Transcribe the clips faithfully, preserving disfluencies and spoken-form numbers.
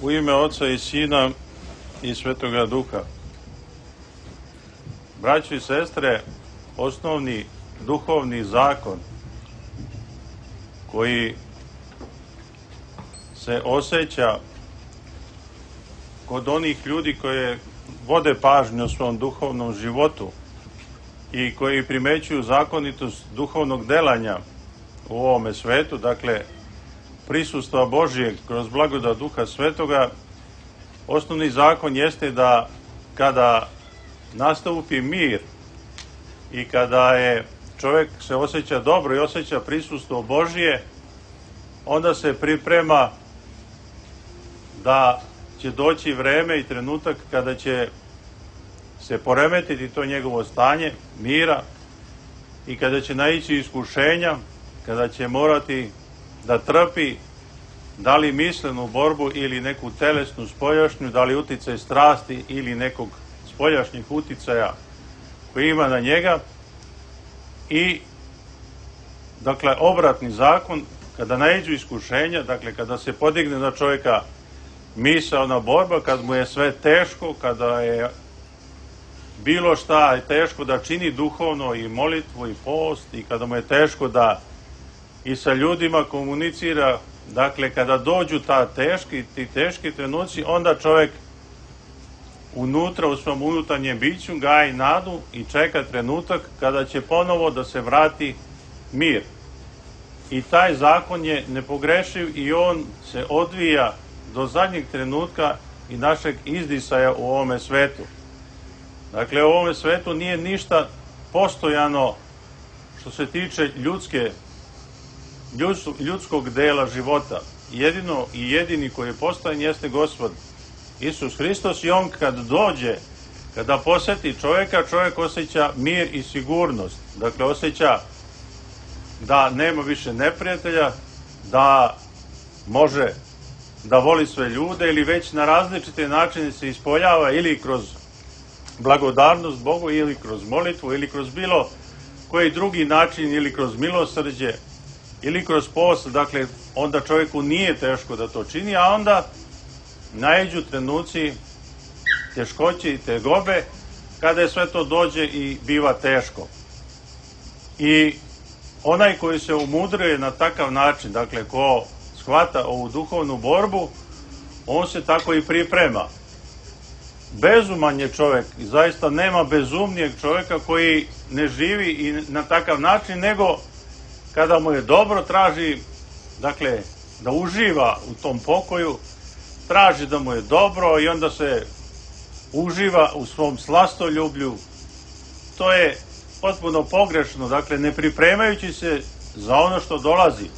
U ime Oca i Sina i Svetoga Duha. Braćo i sestre, osnovni duhovni zakon koji se osjeća kod onih ljudi koje vode pažnju o svom duhovnom životu i koji primećuju zakonitost duhovnog delanja u ovome svetu, dakle prisustva Božijeg kroz blagodat Duha Svetoga, osnovni zakon jeste da kada nastupi mir i kada je čovjek se osjeća dobro i osjeća prisustvo Božije, onda se priprema da će doći vreme i trenutak kada će se poremetiti to njegovo stanje mira i kada će naići iskušenja, kada će morati da trpi da li mislenu borbu ili neku telesnu spoljašnju, da li uticaj strasti ili nekog spoljašnjih uticaja koji ima na njega. I dakle obratni zakon, kada naiđu iskušenja, dakle kada se podigne na čovjeka misaona borba, kad mu je sve teško, kada je bilo šta je teško da čini duhovno i molitvu i post, i kada mu je teško da i sa ljudima komunicira, dakle kada dođu ta teški, ti teški trenuci, onda čovjek unutra u svom unutarnjem biću gaji nadu i čeka trenutak kada će ponovo da se vrati mir. I taj zakon je nepogrešiv i on se odvija do zadnjeg trenutka i našeg izdisaja u ovome svetu. Dakle, u ovome svetu nije ništa postojano što se tiče ljudske, ljudskog dela života. Jedino i jedini koji je postojan jeste Gospod Isus Hristos, i on kad dođe, kada poseti čovjeka, čovjek osjeća mir i sigurnost. Dakle, osjeća da nema više neprijatelja, da može da voli sve ljude ili već na različite načine se ispoljava ili kroz blagodarnost Bogu ili kroz molitvu ili kroz bilo koji drugi način ili kroz milosrđe ili kroz post. Dakle, onda čovjeku nije teško da to čini, a onda naiđu trenuci teškoće i tegobe kada je sve to dođe i biva teško. I onaj koji se umudruje na takav način, dakle ko shvata ovu duhovnu borbu, on se tako i priprema. Bezuman je čovjek i zaista nema bezumnijeg čovjeka koji ne živi i na takav način, nego kada mu je dobro traži, dakle, da uživa u tom pokoju, traži da mu je dobro i onda se uživa u svom slastoljublju. To je potpuno pogrešno, dakle, ne pripremajući se za ono što dolazi.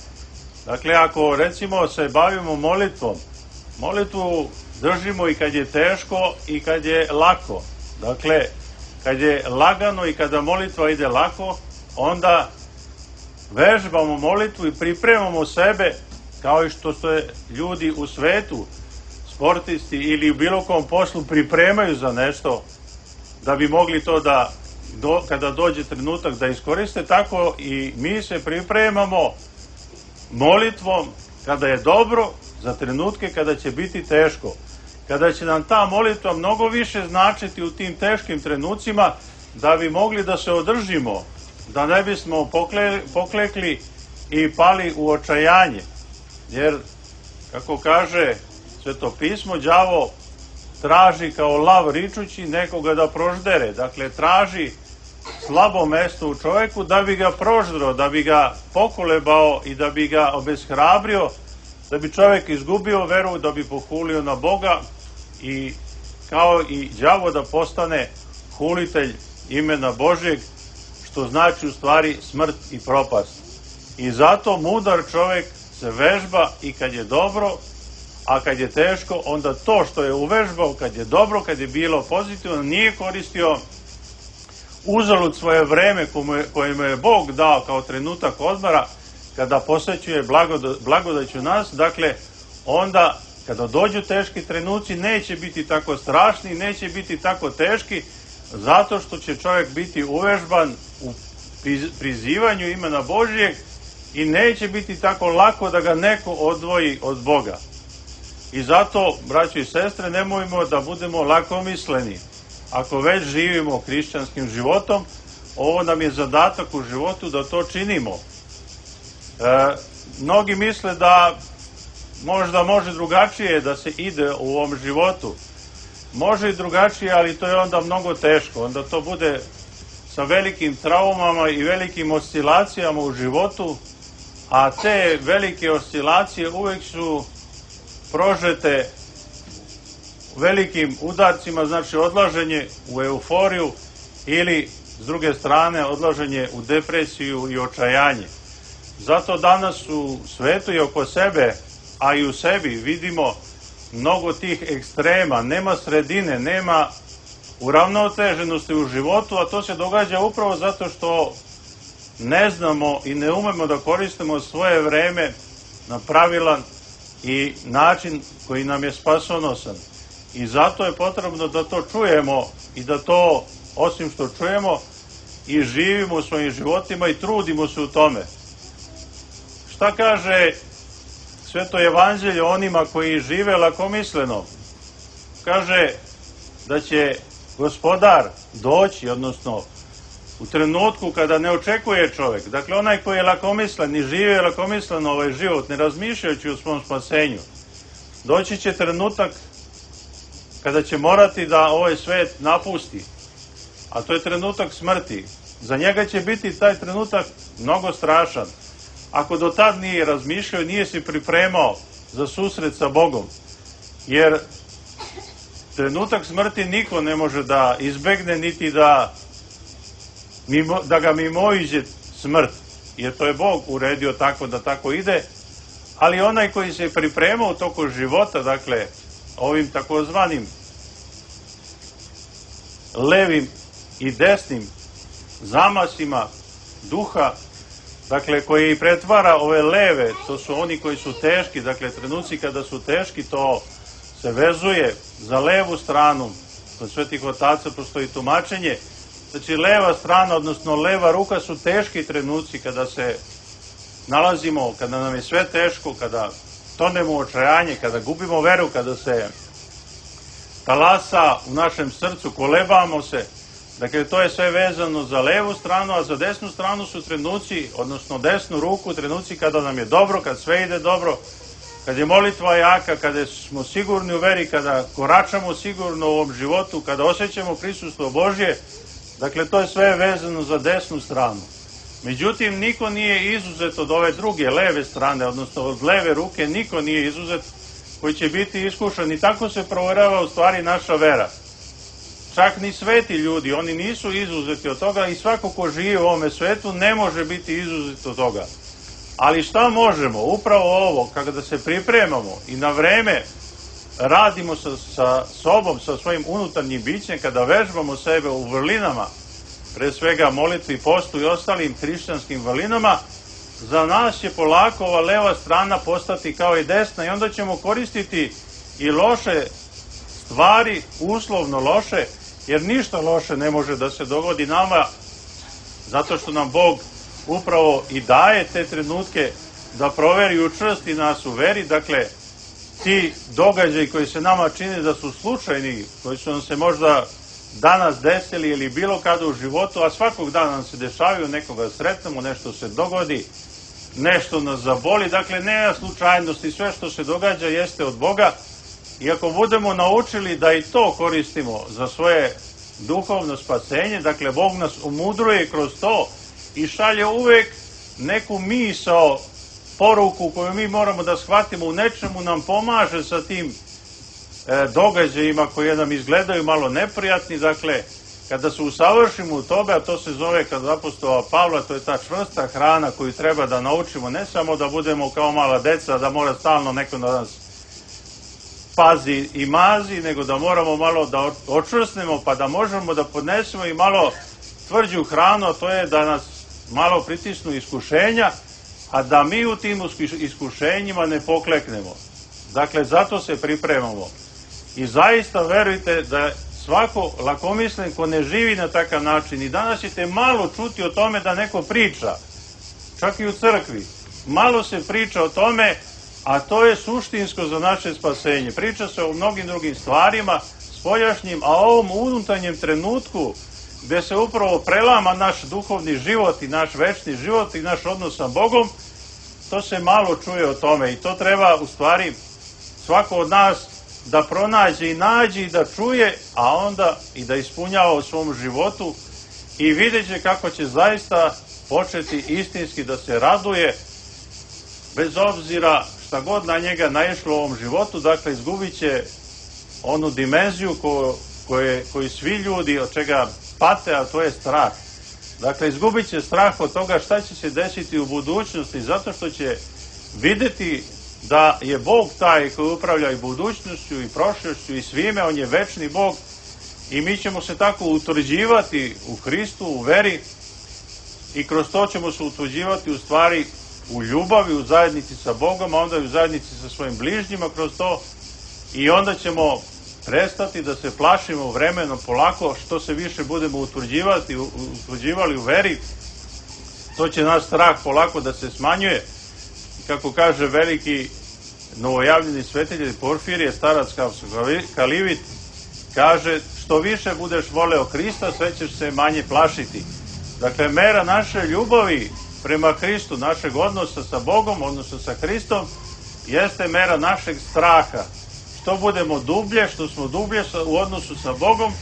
Dakle, ako recimo se bavimo molitvom, molitvu držimo i kad je teško i kad je lako. Dakle, kad je lagano i kada molitva ide lako, onda vežbamo molitvu i pripremamo sebe, kao i što se ljudi u svetu, sportisti ili u bilo kom poslu pripremaju za nešto da bi mogli to da, do, kada dođe trenutak da iskoriste, tako i mi se pripremamo molitvom kada je dobro za trenutke kada će biti teško. Kada će nam ta molitva mnogo više značiti u tim teškim trenucima, da bi mogli da se održimo, da ne bismo pokle, poklekli i pali u očajanje. Jer, kako kaže Sveto pismo, đavo traži kao lav ričući nekoga da proždere. Dakle, traži slabo mesto u čovjeku da bi ga proždro, da bi ga pokolebao i da bi ga obeshrabrio, da bi čovjek izgubio veru, da bi pohulio na Boga i kao i đavo da postane hulitelj imena Božjeg, što znači u stvari smrt i propast. I zato mudar čovjek se vežba i kad je dobro, a kad je teško, onda to što je uvežbao, kad je dobro, kad je bilo pozitivno, nije koristio uzalud svoje vreme koje mu je Bog dao kao trenutak odmora, kada posvećuje blagodaću nas. Dakle, onda kada dođu teški trenuci, neće biti tako strašni, neće biti tako teški, zato što će čovjek biti uvežban u prizivanju imena Božijeg i neće biti tako lako da ga neko odvoji od Boga. I zato, braćo i sestre, nemojmo da budemo lakomisleni. Ako već živimo hrišćanskim životom, ovo nam je zadatak u životu da to činimo. E, mnogi misle da možda može drugačije da se ide u ovom životu. Može i drugačije, ali to je onda mnogo teško. Onda to bude sa velikim traumama i velikim oscilacijama u životu, a te velike oscilacije uvek su prožete velikim udarcima, znači odlaženje u euforiju ili, s druge strane, odlaženje u depresiju i očajanje. Zato danas u svetu i oko sebe, a i u sebi, vidimo mnogo tih ekstrema, nema sredine, nema uravnoteženosti u životu, a to se događa upravo zato što ne znamo i ne umemo da koristimo svoje vreme na pravilan i način koji nam je spasonosan. I zato je potrebno da to čujemo i da to, osim što čujemo, i živimo u svojim životima i trudimo se u tome. Šta kaže Sveto evanđelje onima koji žive lakomisleno? Kaže da će Gospodar doći, odnosno u trenutku kada ne očekuje čovjek. Dakle, onaj koji je lakomislen i žive lakomisleno ovaj život, ne razmišljajući o svom spasenju, doći će trenutak kada će morati da ovaj svet napusti. A to je trenutak smrti. Za njega će biti taj trenutak mnogo strašan. Ako do tad nije razmišljao, nije se pripremao za susret sa Bogom. Jer trenutak smrti niko ne može da izbegne, niti da, mimo, da ga mimoiđe smrt. Jer to je Bog uredio tako da tako ide. Ali onaj koji se pripremao u toku života, dakle, ovim takozvanim levim i desnim zamasima duha, dakle, koji pretvara ove leve, to su oni koji su teški, dakle, trenuci kada su teški, to se vezuje za levu stranu. Kod svetih otaca postoji tumačenje. Znači, leva strana, odnosno leva ruka su teški trenuci kada se nalazimo, kada nam je sve teško, kada tonemo u očajanje, kada gubimo veru, kada se talasa u našem srcu, kolebamo se. Dakle, to je sve vezano za levu stranu, a za desnu stranu su trenuci, odnosno desnu ruku, trenuci kada nam je dobro, kad sve ide dobro, kad je molitva jaka, kada smo sigurni u veri, kada koračamo sigurno u ovom životu, kada osjećamo prisustvo Božje. Dakle, to je sve vezano za desnu stranu. Međutim, niko nije izuzet od ove druge, leve strane, odnosno od leve ruke, niko nije izuzet koji će biti iskušan. I tako se provjerava u stvari naša vera. Čak ni sveti ljudi, oni nisu izuzeti od toga i svako ko živi u ovome svetu ne može biti izuzet od toga. Ali šta možemo? Upravo ovo, kada se pripremamo i na vreme radimo sa, sa sobom, sa svojim unutarnjim bićem, kada vežbamo sebe u vrlinama, pre svega molitvi, postu i ostalim hrišćanskim vrlinama, za nas će polako ova leva strana postati kao i desna i onda ćemo koristiti i loše stvari, uslovno loše, jer ništa loše ne može da se dogodi nama, zato što nam Bog upravo i daje te trenutke da proveri i učvrsti nas u veri. Dakle, ti događaji koji se nama čine da su slučajni, koji su nam se možda danas desili ili bilo kada u životu, a svakog dana nam se dešavaju, nekoga sretnemo, nešto se dogodi, nešto nas zaboli, dakle nema slučajnosti, sve što se događa jeste od Boga. I ako budemo naučili da i to koristimo za svoje duhovno spasenje, dakle Bog nas umudruje kroz to i šalje uvek neku misao, poruku koju mi moramo da shvatimo, u nečemu nam pomaže sa tim e, događajima koji nam izgledaju malo neprijatni. Dakle, kada se usavršimo u tobe, a to se zove kod apostola Pavla, to je ta čvrsta hrana koju treba da naučimo, ne samo da budemo kao mala deca, da mora stalno neko na nas pazi i mazi, nego da moramo malo da očvrsnemo, pa da možemo da podnesemo i malo tvrđu hranu, a to je da nas malo pritisnu iskušenja, a da mi u tim iskušenjima ne pokleknemo. Dakle, zato se pripremamo. I zaista verujte da svako lakomislen ko ne živi na takav način, i danas ćete malo čuti o tome da neko priča, čak i u crkvi, malo se priča o tome a to je suštinsko za naše spasenje. Priča se o mnogim drugim stvarima, spoljašnjim, a o ovom unutarnjem trenutku gde se upravo prelama naš duhovni život i naš večni život i naš odnos sa Bogom, to se malo čuje o tome i to treba u stvari svako od nas da pronađe i nađe i da čuje, a onda i da ispunjava u svom životu i vidjet će kako će zaista početi istinski da se raduje, bez obzira šta god na njega naišlo u ovom životu, dakle izgubit će onu dimenziju ko, koje, koju svi ljudi od čega pate, a to je strah. Dakle, izgubit će strah od toga šta će se desiti u budućnosti, zato što će videti da je Bog taj koji upravlja i budućnošću i prošlošću i svime, on je večni Bog i mi ćemo se tako utvrđivati u Hristu, u veri i kroz to ćemo se utvrđivati u stvari u ljubavi, u zajednici sa Bogom, a onda i u zajednici sa svojim bližnjima kroz to i onda ćemo prestati da se plašimo vremenom polako, što se više budemo utvrđivati, utvrđivali u veri, to će naš strah polako da se smanjuje. Kako kaže veliki novojavljeni svetitelj Porfirije, starac Kalivit, kaže, što više budeš voleo Hrista, sve ćeš se manje plašiti. Dakle, mera naše ljubavi prema Hristu, našeg odnosa sa Bogom, odnosa sa Hristom, jeste mera našeg straha. Što budemo dublje, što smo dublje u odnosu sa Bogom,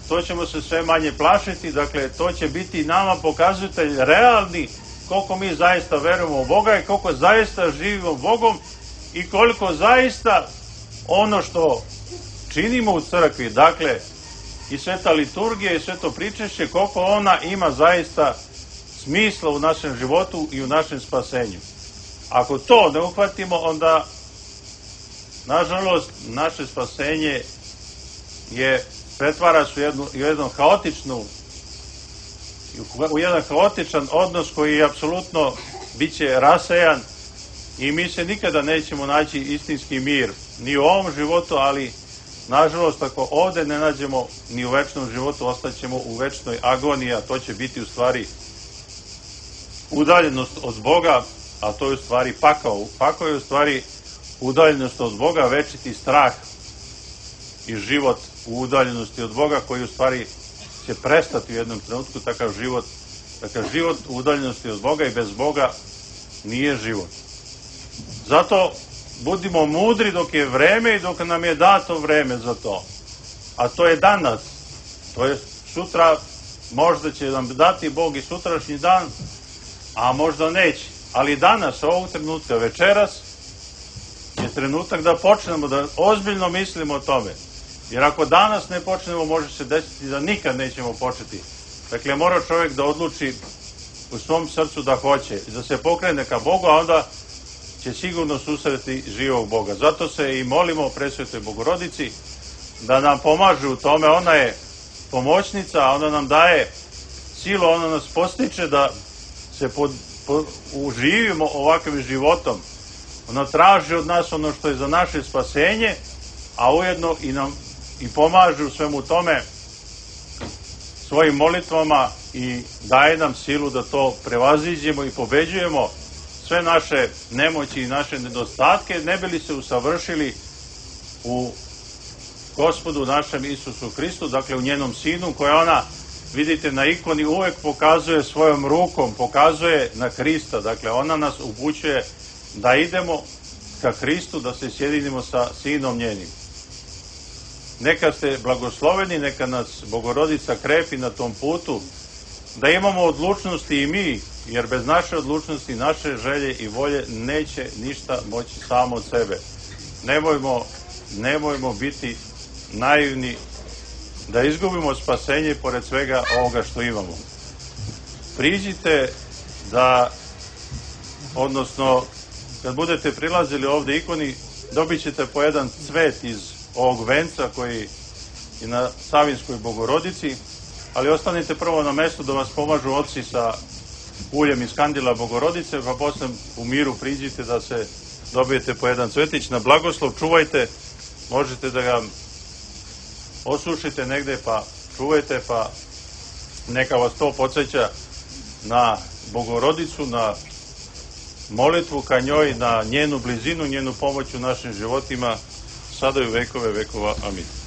to ćemo se sve manje plašiti. Dakle, to će biti nama pokazatelj realni koliko mi zaista verujemo u Boga i koliko zaista živimo Bogom i koliko zaista ono što činimo u crkvi, dakle, i sveta liturgija i sveto pričešće, koliko ona ima zaista smisla u našem životu i u našem spasenju. Ako to ne uhvatimo, onda nažalost naše spasenje je pretvara se u jednu, u jednu haotičnu u jedan haotičan odnos koji je apsolutno bit će rasejan i mi se nikada nećemo naći istinski mir ni u ovom životu, ali nažalost ako ovde ne nađemo ni u večnom životu, ostaćemo u večnoj agoniji, a to će biti u stvari udaljenost od Boga, a to je u stvari pakao. Pakao je u stvari udaljenost od Boga, večiti strah i život u udaljenosti od Boga koji u stvari će prestati u jednom trenutku, takav život, takav život u udaljenosti od Boga i bez Boga nije život. Zato budimo mudri dok je vreme i dok nam je dato vreme za to. A to je danas. To je sutra, možda će nam dati Bog i sutrašnji dan, a možda neće. Ali danas, ovog trenutka, večeras, je trenutak da počnemo da ozbiljno mislimo o tome. Jer ako danas ne počnemo, može se desiti da nikad nećemo početi. Dakle, mora čovjek da odluči u svom srcu da hoće, da se pokrene ka Bogu, a onda će sigurno susreti živog Boga. Zato se i molimo Presvetoj Bogorodici da nam pomaže u tome. Ona je pomoćnica, a ona nam daje silu, ona nas postiče da se pod, pod, uživimo ovakvim životom. Ona traži od nas ono što je za naše spasenje, a ujedno i nam i pomaže u svemu tome svojim molitvama i daje nam silu da to prevaziđemo i pobeđujemo sve naše nemoći i naše nedostatke, ne bi li se usavršili u Gospodu našem Isusu Hristu, dakle u njenom Sinu, koja ona, vidite, na ikoni uvek pokazuje svojom rukom, pokazuje na Hrista, dakle ona nas upućuje da idemo ka Hristu, da se sjedinimo sa Sinom njenim. Neka ste blagosloveni, neka nas Bogorodica krepi na tom putu, da imamo odlučnosti i mi, jer bez naše odlučnosti, naše želje i volje neće ništa moći samo od sebe. Nemojmo, nemojmo biti naivni da izgubimo spasenje pored svega ovoga što imamo. Priđite da, odnosno, kad budete prilazili ovde ikoni, dobit ćete po jedan cvet iz ovog venca koji je na Savinskoj Bogorodici, ali ostanite prvo na mestu da vas pomažu oci sa uljem iz kandila Bogorodice, pa posle u miru priđite da se dobijete po jedan cvetić na blagoslov. Čuvajte, možete da ga osušite negde, pa čuvajte, pa neka vas to podsjeća na Bogorodicu, na molitvu ka njoj, na njenu blizinu, njenu pomoć u našim životima, sada i u vekove vekova. Amin.